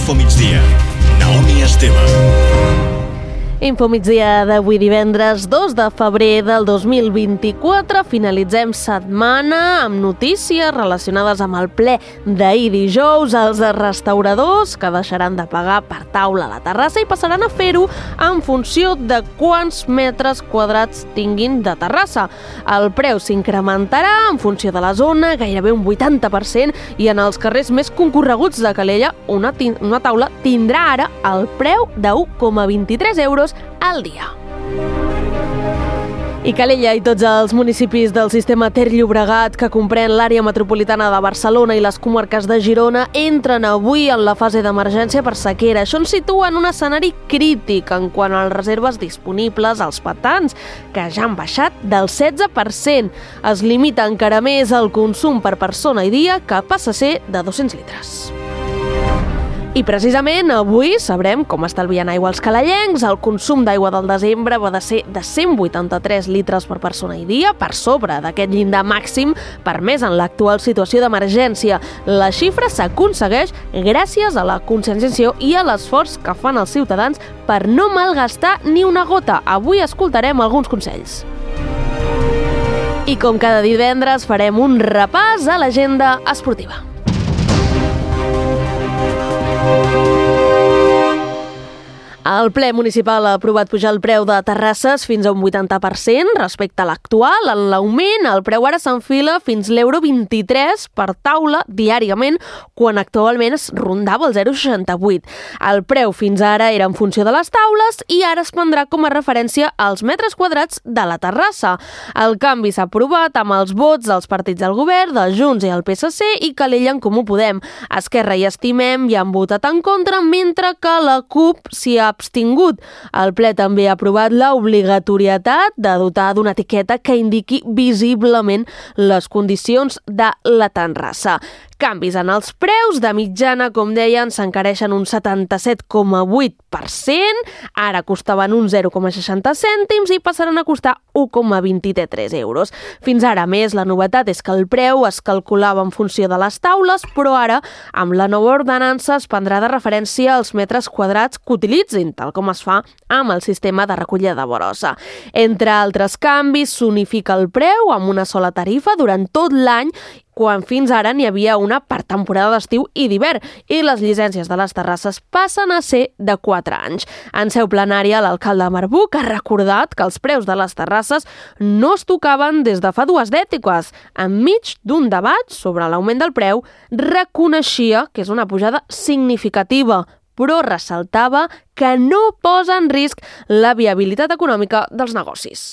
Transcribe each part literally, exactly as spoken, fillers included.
Infomigdia. Naomi Esteve. Infomigdia d'avui divendres dos de febrer del dos mil vint-i-quatre. Finalitzem setmana amb notícies relacionades amb el ple d'ahir dijous. Els restauradors que deixaran de pagar per taula a la terrassa i passaran a fer-ho en funció de quants metres quadrats tinguin de terrassa. El preu s'incrementarà en funció de la zona, gairebé un vuitanta per cent, i en els carrers més concorreguts de Calella una, una taula tindrà ara el preu de u coma vint-i-tres euros al dia. I Calella i tots els municipis del sistema Ter-Llobregat, que comprèn l'àrea metropolitana de Barcelona i les comarques de Girona, entren avui en la fase d'emergència per sequera. Això ens situa en un escenari crític en quant a les reserves disponibles als pantans, que ja han baixat del setze per cent. Es limita encara més el consum per persona i dia, que passa a ser de dos-cents litres. I precisament avui sabrem com estalvien aigua els calellencs. El consum d'aigua del desembre va de ser de cent vuitanta-tres litres per persona i dia, per sobre d'aquest llindar màxim permès en l'actual situació d'emergència. La xifra s'aconsegueix gràcies a la conscienciació i a l'esforç que fan els ciutadans per no malgastar ni una gota. Avui escoltarem alguns consells. I com cada divendres farem un repàs a l'agenda esportiva. El ple municipal ha aprovat pujar el preu de terrasses fins a un vuitanta per cent respecte a l'actual. En l'augment, el preu ara s'enfila fins l'euro vint-i-tres per taula diàriament, quan actualment es rondava el zero coma seixanta-vuit. El preu fins ara era en funció de les taules i ara es prendrà com a referència als metres quadrats de la terrassa. El canvi s'ha aprovat amb els vots dels partits del govern, de Junts i el P S C, i Calella en Comú Podem. Esquerra i Estimem hi han votat en contra, mentre que la CUP s'hi ha abstingut. El ple també ha aprovat l'obligatorietat de dotar d'una etiqueta que indiqui visiblement les condicions de la terrassa. Canvis en els preus, de mitjana, com deien, s'encareixen un setanta-set coma vuit per cent, ara costaven un zero coma seixanta cèntims i passaran a costar u coma vint-i-tres euros. Fins ara, més, la novetat és que el preu es calculava en funció de les taules, però ara, amb la nova ordenança, es prendrà de referència als metres quadrats que utilitzin, tal com es fa amb el sistema de recollida de brossa. Entre altres canvis, s'unifica el preu amb una sola tarifa durant tot l'any, quan fins ara n'hi havia una per temporada d'estiu i d'hivern, i les llicències de les terrasses passen a ser de quatre anys. En seu plenària, l'alcalde Marbuc ha recordat que els preus de les terrasses no es tocaven des de fa dues dècades. Enmig d'un debat sobre l'augment del preu, reconeixia que és una pujada significativa, però ressaltava que no posa en risc la viabilitat econòmica dels negocis.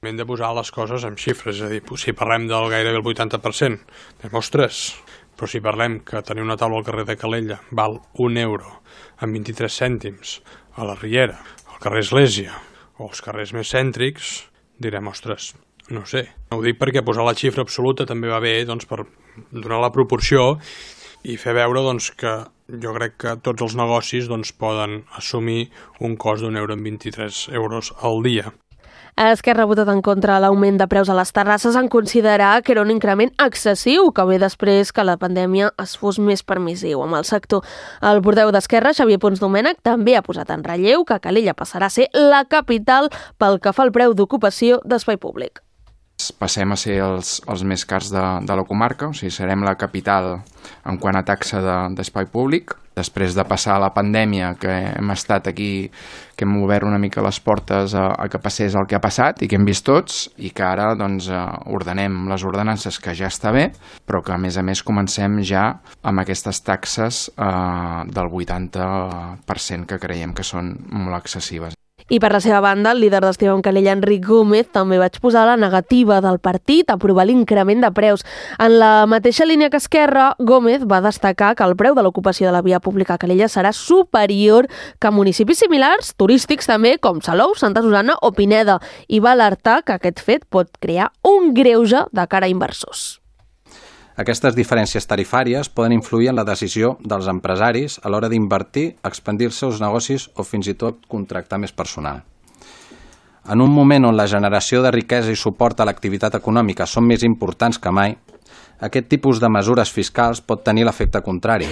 Hem de posar les coses amb xifres, és a dir, si parlem del gairebé el vuitanta per cent, anem, ostres, però si parlem que tenir una taula al carrer de Calella val un euro amb vint-i-tres cèntims a la Riera, al carrer Església o als carrers més cèntrics, direm, ostres, no sé. Ho dic perquè posar la xifra absoluta també va bé, doncs, per donar la proporció i fer veure, doncs, que jo crec que tots els negocis, doncs, poden assumir un cost d'un euro amb vint-i-tres euros al dia. Esquerra ha votat en contra l'augment de preus a les terrasses en considerar que era un increment excessiu, que ve després que la pandèmia es fos més permissiu amb el sector. El portaveu d'Esquerra, Xavier Pons Domènech, també ha posat en relleu que Calella passarà a ser la capital pel que fa al preu d'ocupació d'espai públic. Passem a ser els, els més cars de, de la comarca, o sigui, serem la capital en quant a taxa de, d'espai públic. Després de passar la pandèmia, que hem estat aquí, que hem obert una mica les portes a, a que passés el que ha passat i que hem vist tots, i que ara doncs, ordenem les ordenances, que ja està bé, però que a més a més comencem ja amb aquestes taxes eh, del vuitanta per cent que creiem que són molt excessives. I per la seva banda, el líder d'Estimem Calella, Enric Gómez, també va exposar la negativa del partit a aprovar l'increment de preus. En la mateixa línia que Esquerra, Gómez va destacar que el preu de l'ocupació de la via pública a Calella serà superior que a municipis similars, turístics també, com Salou, Santa Susanna o Pineda, i va alertar que aquest fet pot crear un greuge de cara a inversors. Aquestes diferències tarifàries poden influir en la decisió dels empresaris a l'hora d'invertir, expandir els seus negocis o fins i tot contractar més personal. En un moment on la generació de riquesa i suport a l'activitat econòmica són més importants que mai, aquest tipus de mesures fiscals pot tenir l'efecte contrari.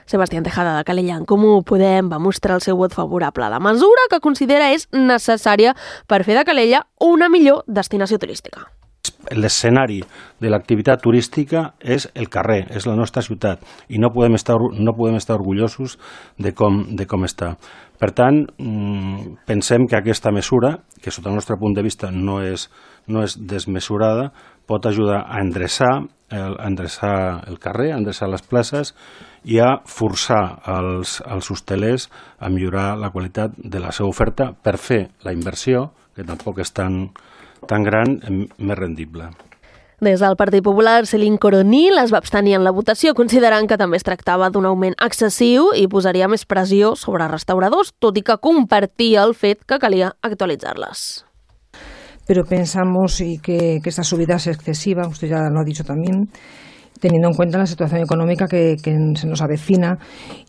Sebastián Tejada, de Calella en Comú Podem, va mostrar el seu vot favorable a la mesura, que considera és necessària per fer de Calella una millor destinació turística. L'escenari de l'activitat turística és el carrer, és la nostra ciutat, i no podem estar, no podem estar orgullosos de com, de com està. Per tant, pensem que aquesta mesura, que sota el nostre punt de vista no és, no és desmesurada, pot ajudar a endreçar el, a endreçar el carrer, a endreçar les places i a forçar els, els hostelers a millorar la qualitat de la seva oferta per fer la inversió, que tampoc és tan, tan gran, més rendible. Des del Partit Popular, Céline Coronil es va abstenir en la votació, considerant que també es tractava d'un augment excessiu i posaria més pressió sobre restauradors, tot i que compartia el fet que calia actualitzar-les. Pero pensamos y que, que esta subida es excesiva, usted ya lo ha dicho también, teniendo en cuenta la situación económica que, que se nos avecina,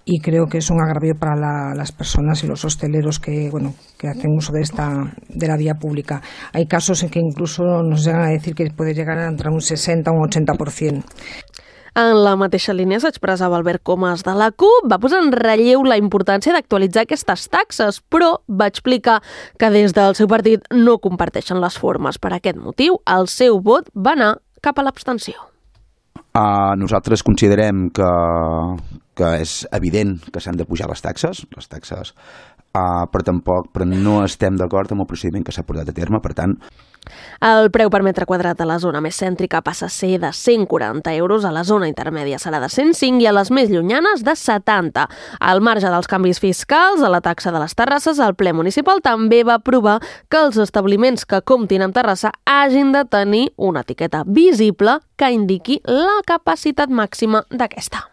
y creo que es un agravio para la, las personas y los hosteleros que, bueno, que hacen uso de, esta, de la vía pública. Hay casos en que incluso nos llegan a decir que puede llegar a entrar un sesenta o un ochenta por ciento. En la mateixa línia s'expressava Albert Comas de la CUP, va posar en relleu la importància d'actualitzar aquestes taxes, però va explicar que des del seu partit no comparteixen les formes. Per aquest motiu, el seu vot va anar cap a l'abstenció. Uh, nosaltres considerem que, que és evident que s'han de pujar les taxes, les taxes, uh, però tampoc però no estem d'acord amb el procediment que s'ha portat a terme, per tant... El preu per metre quadrat a la zona més cèntrica passa a ser de cent quaranta euros, a la zona intermèdia serà de cent cinc i a les més llunyanes de setanta. Al marge dels canvis fiscals, a la taxa de les terrasses, el ple municipal també va aprovar que els establiments que comptin amb terrassa hagin de tenir una etiqueta visible que indiqui la capacitat màxima d'aquesta.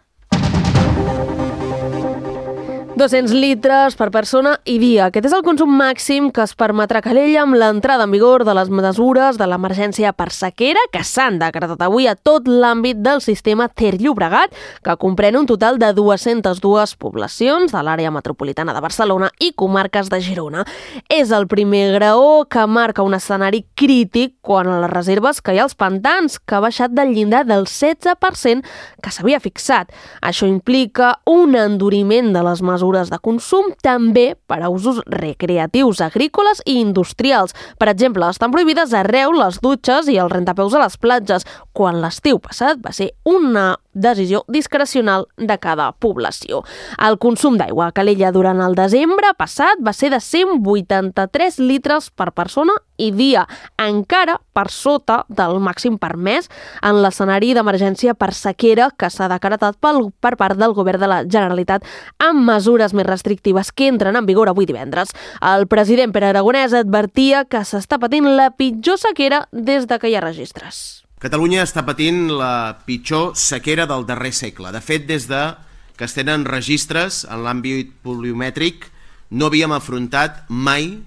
dos-cents litres per persona i dia. Aquest és el consum màxim que es permetrà a Calella amb l'entrada en vigor de les mesures de l'emergència per sequera que s'han decretat avui a tot l'àmbit del sistema Ter-Llobregat, que comprèn un total de dues-centes dues poblacions de l'àrea metropolitana de Barcelona i comarques de Girona. És el primer graó que marca un escenari crític quan a les reserves que hi ha als pantans, que ha baixat del llindar del setze per cent que s'havia fixat. Això implica un enduriment de les mesures de consum també per a usos recreatius, agrícoles i industrials. Per exemple, estan prohibides arreu les dutxes i els rentapeus a les platges, quan l'estiu passat va ser una decisió discrecional de cada població. El consum d'aigua a Calella durant el desembre passat va ser de cent vuitanta-tres litres per persona i dia, encara per sota del màxim permès en l'escenari d'emergència per sequera que s'ha decretat pel, per part del Govern de la Generalitat amb mesures més restrictives que entren en vigor avui divendres. El president Pere Aragonès advertia que s'està patint la pitjor sequera des de que hi ha registres. Catalunya està patint la pitjor sequera del darrer segle. De fet, des de que es tenen registres en l'àmbit pluviomètric, no havíem afrontat mai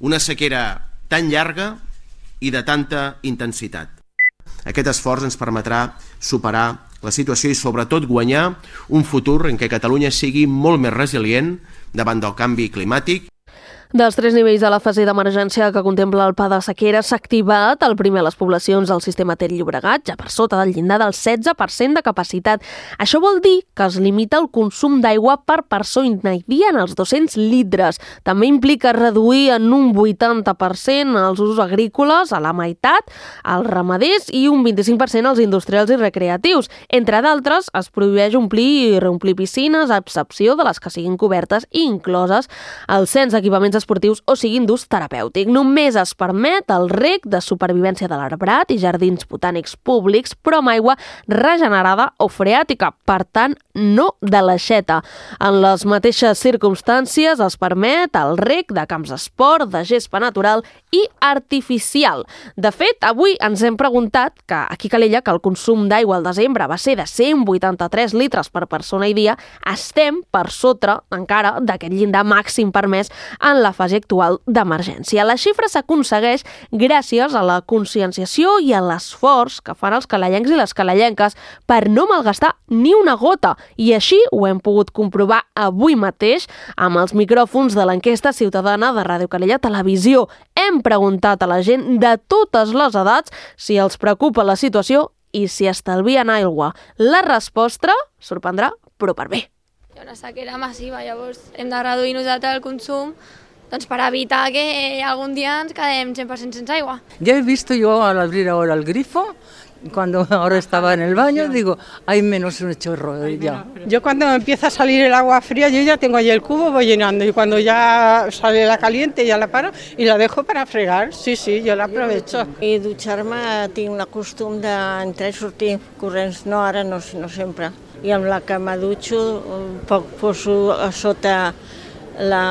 una sequera tan llarga i de tanta intensitat. Aquest esforç ens permetrà superar la situació i sobretot guanyar un futur en què Catalunya sigui molt més resilient davant del canvi climàtic. Dels tres nivells de la fase d'emergència que contempla el pla de sequera s'ha activat el primer a les poblacions del sistema Ter-Llobregat, ja per sota del llindar del setze per cent de capacitat. Això vol dir que es limita el consum d'aigua per persona i dia en els dos-cents litres. També implica reduir en un vuitanta per cent els usos agrícoles, a la meitat, als ramaders i un vint-i-cinc per cent als industrials i recreatius. Entre d'altres, es prohibeix omplir i reomplir piscines, a excepció de les que siguin cobertes i incloses el cens d'equipaments esportius o siguin d'ús terapèutic. Només es permet el reg de supervivència de l'arbrat i jardins botànics públics, però amb aigua regenerada o freàtica, per tant, no de l'aixeta. En les mateixes circumstàncies es permet el reg de camps d'esport, de gespa natural i artificial. De fet, avui ens hem preguntat que aquí a Calella, que el consum d'aigua al desembre va ser de cent vuitanta-tres litres per persona i dia, estem per sota encara d'aquest llindar màxim permès en la fase actual d'emergència. La xifra s'aconsegueix gràcies a la conscienciació i a l'esforç que fan els calellencs i les calellenques per no malgastar ni una gota, i així ho hem pogut comprovar avui mateix amb els micròfons de l'enquesta ciutadana de Ràdio Calella Televisió. Hem preguntat a la gent de totes les edats si els preocupa la situació i si estalvien aigua. La resposta sorprendrà, però per bé. la sequera massiva, llavors hem de reduir nosaltres el consum doncs per evitar que algún día ens quedem cien por ciento sense aigua. Ya he visto yo al abrir ahora el grifo, cuando ahora estaba en el baño, digo, hay menos un chorro ya. Yo cuando empieza a salir el agua fría, yo ya tengo ahí el cubo, voy llenando, y cuando ya sale la caliente ya la paro y la dejo para fregar, sí, sí, yo la aprovecho. I dutxar-me tinc el costum d'entrar i sortir corrents, no ara, no, no sempre. I amb la que me dutxo, poc poso a sota la,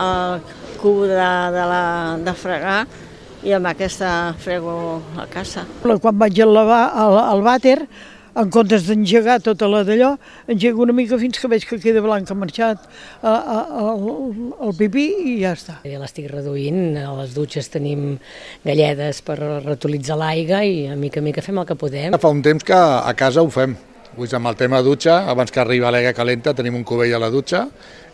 el cub de, de, la, de fregar i amb aquesta frego la casa. Quan vaig al, lavar, al, al vàter, en comptes d'engegar tota la d'allò, engego una mica fins que veig que queda blanc, ha marxat el pipí i ja està. Ja l'estic reduint, a les dutxes tenim galledes per reutilitzar l'aigua i a mica a mica fem el que podem. Fa un temps que a casa ho fem. Vull dir, amb el tema dutxa, abans que arriba l'aigua calenta tenim un cubell a la dutxa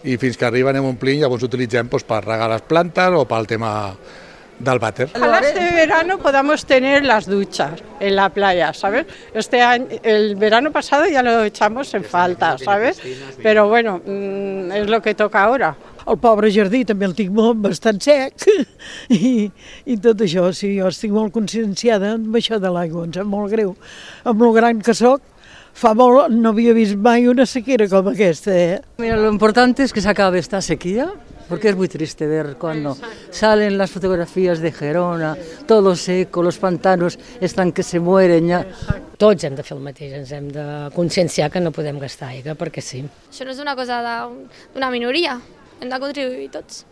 i fins que arriba anem omplint, llavors utilitzem pues, per regar les plantes o pel tema del váter. Ojalá este verano podamos tener las duchas en la playa, ¿sabes? Este año, el verano pasado ya lo echamos en falta, ¿sabes? Pero bueno, mmm, es lo que toca ahora. El pobre jardí també el tinc molt, bastant sec i, i tot això, sí, jo estic molt conscienciada amb això de l'aigua, em sap molt greu. Amb el gran que soc, fa molt, no havia vist mai una sequera com aquesta, eh? Mira, lo importante es que se acabe esta sequía, porque es muy triste ver cuando salen las fotografías de Gerona, todo seco, los pantanos están que se mueren ya. Tots hem de fer el mateix, ens hem de conscienciar que no podem gastar aigua, perquè sí. Això no és una cosa d'una minoria, hem de contribuir tots.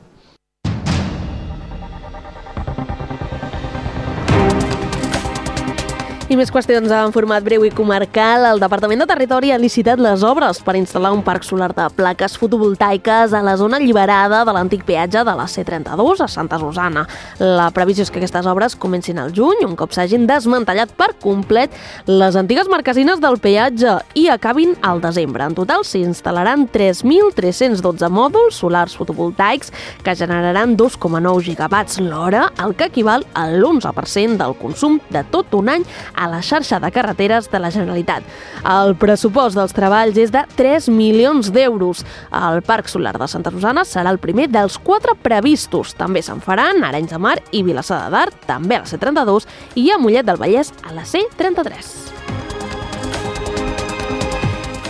I més qüestions en format breu i comarcal. El Departament de Territori ha licitat les obres per instal·lar un parc solar de plaques fotovoltaiques a la zona alliberada de l'antic peatge de la C trenta-dos a Santa Susana. La previsió és que aquestes obres comencin al juny, un cop s'hagin desmantellat per complet les antigues marquesines del peatge i acabin al desembre. En total s'hi instal·laran tres mil tres-cents dotze mòduls solars fotovoltaics que generaran dos coma nou gigawatts l'hora, el que equival a l'onze per cent del consum de tot un any a la xarxa de carreteres de la Generalitat. El pressupost dels treballs és de tres milions d'euros. El Parc Solar de Santa Susana serà el primer dels quatre previstos. També se'n faran a Arenys de Mar i Vilassar de Dalt, també a la C trenta-dos, i a Mollet del Vallès a la C trenta-tres.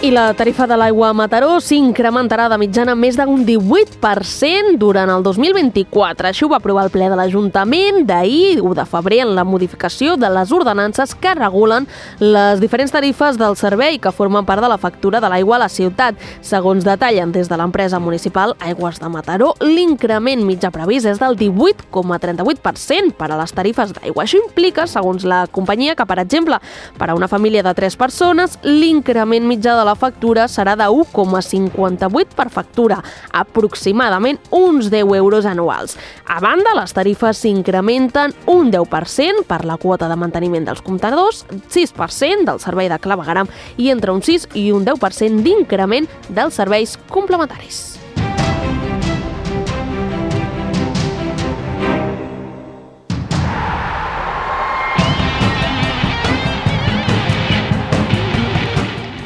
I la tarifa de l'aigua a Mataró s'incrementarà de mitjana més d'un divuit per cent durant el dos mil vint-i-quatre. Això ho va aprovar el ple de l'Ajuntament d'ahir, u de febrer, en la modificació de les ordenances que regulen les diferents tarifes del servei que formen part de la factura de l'aigua a la ciutat. Segons detallen des de l'empresa municipal Aigües de Mataró, l'increment mitjà previst és del divuit coma trenta-vuit per cent per a les tarifes d'aigua. Això implica, segons la companyia, que, per exemple, per a una família de tres persones, l'increment mitjà de la factura serà de u coma cinquanta-vuit per factura, aproximadament uns deu euros anuals. A banda, les tarifes s'incrementen un deu per cent per la quota de manteniment dels comptadors, sis per cent del servei de clavegueram i entre un sis i un deu per cent d'increment dels serveis complementaris.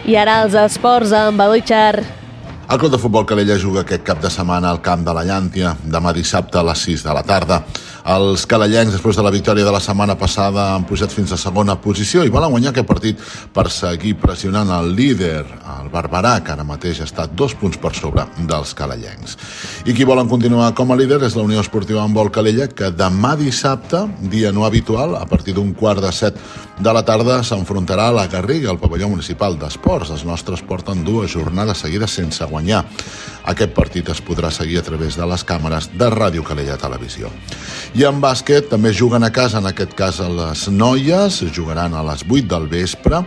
I ara els esports amb Eloi Char. El Club de Futbol Calella juga aquest cap de setmana al camp de la Llàntia, demà dissabte a les sis de la tarda. Els calellencs, després de la victòria de la setmana passada, han pujat fins a segona posició i volen guanyar aquest partit per seguir pressionant el líder, el Barberà, que ara mateix està dos punts per sobre dels calellencs. I qui volen continuar com a líder és la Unió Esportiva Handbol Calella, que demà dissabte, dia no habitual, a partir d'un quart de set de la tarda, s'enfrontarà a la Garriga, al pavelló municipal d'esports. Els nostres porten dues jornades seguides sense guanyar. Aquest partit es podrà seguir a través de les càmeres de Ràdio Calella Televisió. I en bàsquet també juguen a casa, en aquest cas a les noies, jugaran a les vuit del vespre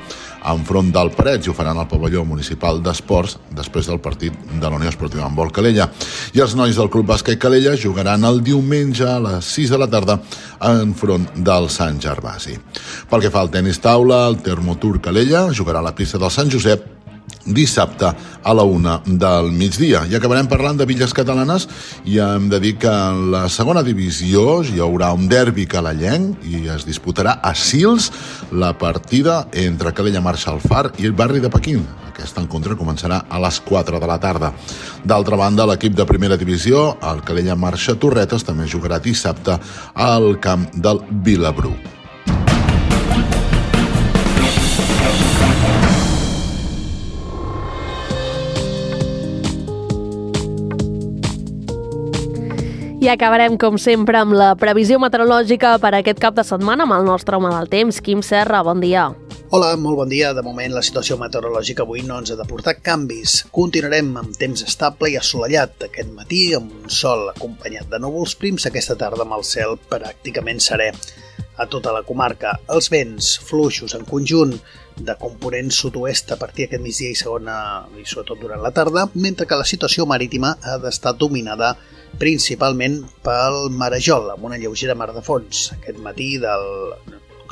enfront del Parets i ho faran al pavelló municipal d'esports després del partit de la Unió Esportiva Handbol Calella. I els nois del Club Bàsquet Calella jugaran el diumenge a les sis de la tarda enfront del Sant Gervasi. Pel que fa al tenis taula, el Termotur Calella jugarà a la pista del Sant Josep dissabte a la una del migdia. I acabarem parlant de Villes Catalanes i hem de dir que en la segona divisió hi haurà un derbi calellenc i es disputarà a Sils la partida entre Calella Marxa al Far i el barri de Pequín. Aquest encontre començarà a les quatre de la tarda. D'altra banda, l'equip de primera divisió, el Calella Marxa Torretes, també jugarà dissabte al camp del Vilabru. I acabarem, com sempre, amb la previsió meteorològica per aquest cap de setmana amb el nostre home del temps, Quim Serra. Bon dia. Hola, molt bon dia. De moment la situació meteorològica avui no ens ha de portar canvis. Continuarem amb temps estable i assolellat aquest matí, amb un sol acompanyat de núvols prims, aquesta tarda amb el cel pràcticament serè a tota la comarca. Els vents fluixos en conjunt de component sud-oest a partir d'aquest migdia i segona, i sobretot durant la tarda, mentre que la situació marítima ha d'estar dominada principalment pel marejol, amb una lleugera mar de fons. Aquest matí del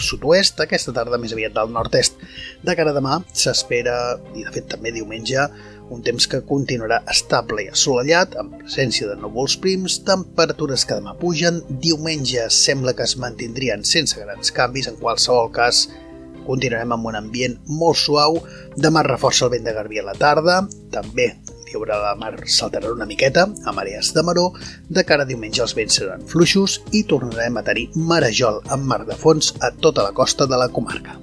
sud-oest, aquesta tarda més aviat del nord-est. De cara a demà s'espera, i de fet també diumenge, un temps que continuarà estable i assolellat, amb presència de núvols prims, temperatures que demà pugen. Diumenge sembla que es mantindrien sense grans canvis, en qualsevol cas continuarem amb un ambient molt suau. Demà reforça el vent de garbí a la tarda, també hi haurà la mar saltarà una miqueta a marees de maró. De cara a diumenge els vents seran fluixos i tornarem a tenir marejol amb mar de fons a tota la costa de la comarca.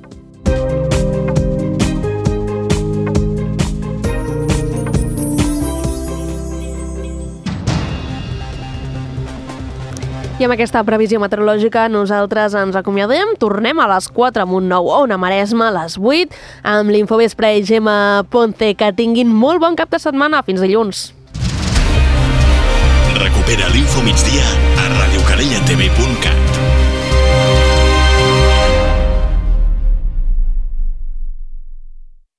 I amb aquesta previsió meteorològica nosaltres ens acomiadem. Tornem a les quatre amb un nou Ona Maresme, a les vuit, amb l'Infovespre i Gemma Ponce. Que tinguin molt bon cap de setmana. Fins dilluns. Recupera l'Info Migdia a radiocalellatv punt cat.